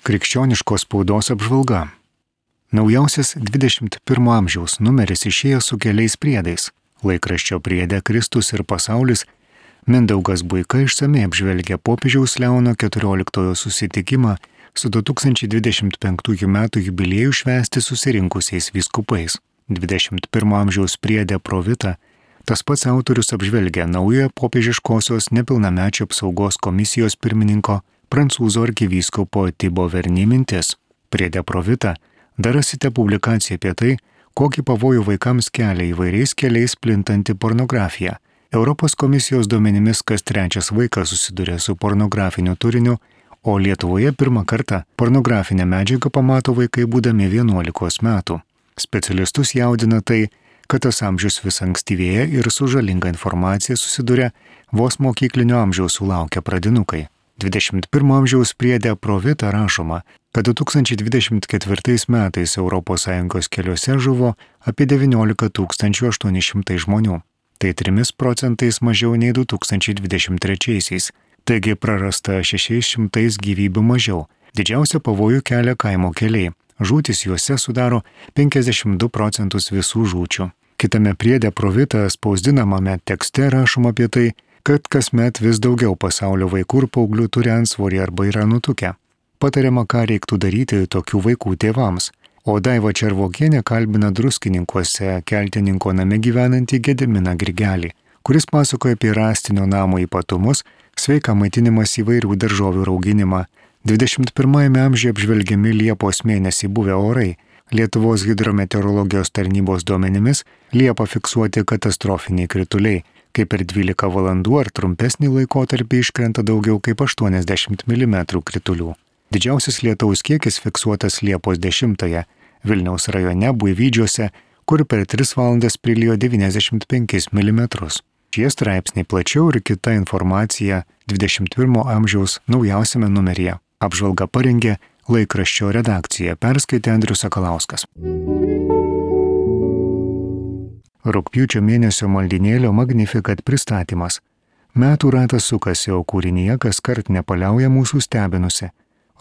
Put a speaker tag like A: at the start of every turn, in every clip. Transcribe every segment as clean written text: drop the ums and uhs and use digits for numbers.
A: Krikščioniškos spaudos apžvalga. Naujausias 21 amžiaus numeris išėjo su keliais priedais. Laikraščio priede Kristus ir pasaulis Mindaugas Buika išsamei apžvelgia popiežiaus Leono XIV susitikimą su 2025 metų jubiliejų švęsti susirinkusiais vyskupais. 21 amžiaus priede Provita tas pats autorius apžvelgia naujojo popiežiškosios nepilnamečių apsaugos komisijos pirmininko prancūzų arkivyskupo Thibaut Verny mintis. Priede Provita dar rasite publikaciją apie tai, kokį pavojų vaikams kelia įvairiais keliais plintanti pornografija. Europos komisijos duomenimis kas trečias vaikas susiduria su pornografiniu turiniu, o Lietuvoje pirmą kartą pornografinę medžiagą pamato vaikai būdami 11 metų. Specialistus jaudina tai, kad tas amžius vis ankstyvėja ir su žalinga informacija susiduria vos mokyklinio amžiaus sulaukę pradinukai. 21 amžiaus priede Provita rašoma, kad 2024 metais ES keliuose žuvo apie 19 800 žmonių. Tai 3% mažiau nei 2023-aisiais, taigi prarasta 600 gyvybių mažiau. Didžiausia pavojų kelia kaimo keliai. Žūtis juose sudaro 52% visų žūčių. Kitame priede Provita spausdinamame tekste rašoma apie tai, kad kasmet vis daugiau pasaulio vaikų ir paauglių turi antsvorį arba yra nutukę. Patariama, ką reiktų daryti tokių vaikų tėvams. O Daiva Červokienė kalbina Druskininkuose Keltininko name gyvenantį Gediminą Grigelį, kuris pasakoja apie rąstinio namo ypatumus, sveiką maitinimas įvairių daržovių rauginimą. 21 amžiuje apžvelgiami Liepos mėnesį buvę orai. Lietuvos hidrometeorologijos tarnybos duomenimis Liepą fiksuoti katastrofiniai krituliai, kai per 12 valandų ar trumpesnį laikotarpį iškrenta daugiau kaip 80 mm kritulių. Didžiausias lietaus kiekis fiksuotas Liepos 10-ąją Vilniaus rajone Buivydžiuose, kur per 3 valandas prilijo 95 mm. Šie straipsniai plačiau ir kita informacija 21 amžiaus naujausiame numeryje. Apžvalga parengė laikraščio redakcija, perskaitė Andrius Sakalauskas. Rugpjūčio mėnesio maldynėlio Magnificat pristatymas. Metų ratas sukasi, o kūrinyje kaskart nepaliauja mūsų stebinusi.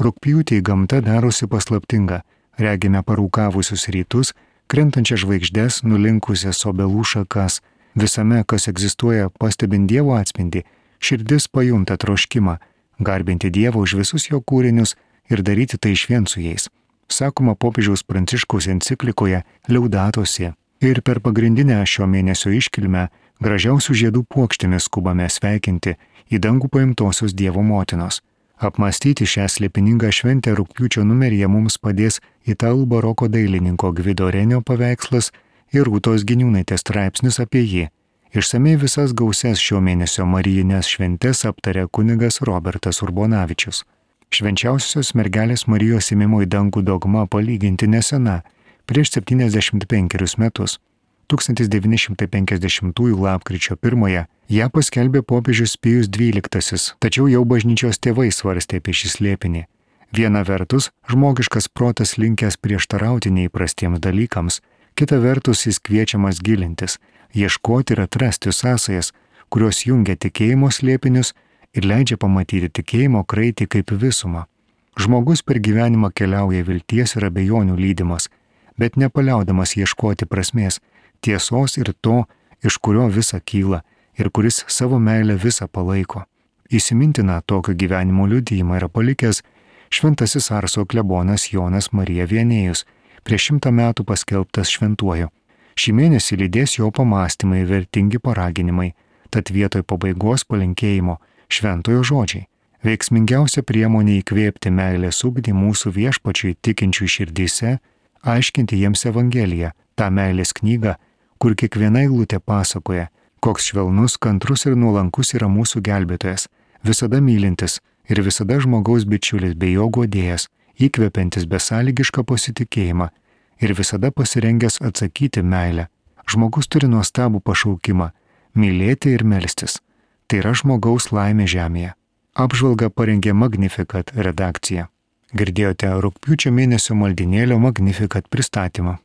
A: Rugpjūtį gamta darosi paslaptinga. Regime parūkavusius rytus, krentančias žvaigždes, nulinkusias obelų šakas. Visame, kas egzistuoja, pastebint Dievo atspindį, širdis pajunta troškimą, garbinti Dievą už visus jo kūrinius ir daryti tai išvien su jais. Sakoma popiežiaus Pranciškaus enciklikoje Laudato Si. Ir per pagrindinę šio mėnesio iškilmę gražiausių žiedų puokštėmis skubame sveikinti į dangų paimtosios Dievo motinos. Apmąstyti šią slėpiningą šventę rugpjūčio numeryje mums padės italų baroko dailininko Gvido Renio paveikslas ir Rūtos Giniūnaitės straipsnis apie jį. Išsamei visas gausias šio mėnesio marijinės šventes aptarė kunigas Robertas Urbonavičius. Švenčiausiosios mergelės Marijos ėmimo į dangų dogma palyginti nesena, prieš 75 metus. 1950 lapkričio 1 ją paskelbė popiežius Pijus XII, tačiau jau bažnyčios tėvai svarstė apie šį slėpinį. Viena vertus, žmogiškas protas linkęs prieštarauti neįprastiems dalykams, kita vertus jis kviečiamas gilintis, ieškoti ir atrasti sąsajas, kurios jungia tikėjimo slėpinius ir leidžia pamatyti tikėjimo kraitį kaip visumą. Žmogus per gyvenimą keliauja vilties ir abejonių lydimas, bet nepaliaudamas ieškoti prasmės, tiesos ir to, iš kurio visa kyla ir kuris savo meilę visą palaiko. Įsimintina tokio gyvenimo liudijimą yra palikęs šventasis Arso klebonas Jonas Marija Vienėjus, prieš 100 metų paskelbtas šventuoju. Šį mėnesį lydės jo pamąstymai vertingi paraginimai, tad vietoj pabaigos palinkėjimo šventojo žodžiai. Veiksmingiausia priemonė įkvėpti meilės ugdį mūsų viešpačiui tikinčių širdyse, aiškinti jiems Evangeliją, tą meilės knygą, kur kiekviena eilutė pasakoja, koks švelnus, kantrus ir nuolankus yra mūsų gelbėtojas, visada mylintis ir visada žmogaus bičiulis bei jo guodėjas, įkvepiantis besąlygišką pasitikėjimą ir visada pasirengęs atsakyti meilę. Žmogus turi nuostabų pašaukimą – mylėti ir melstis. Tai yra žmogaus laimė žemėje. Apžvalgą parengė Magnificat redakcija. Girdėjote rugpjūčio mėnesio maldynėlio Magnificat pristatymą.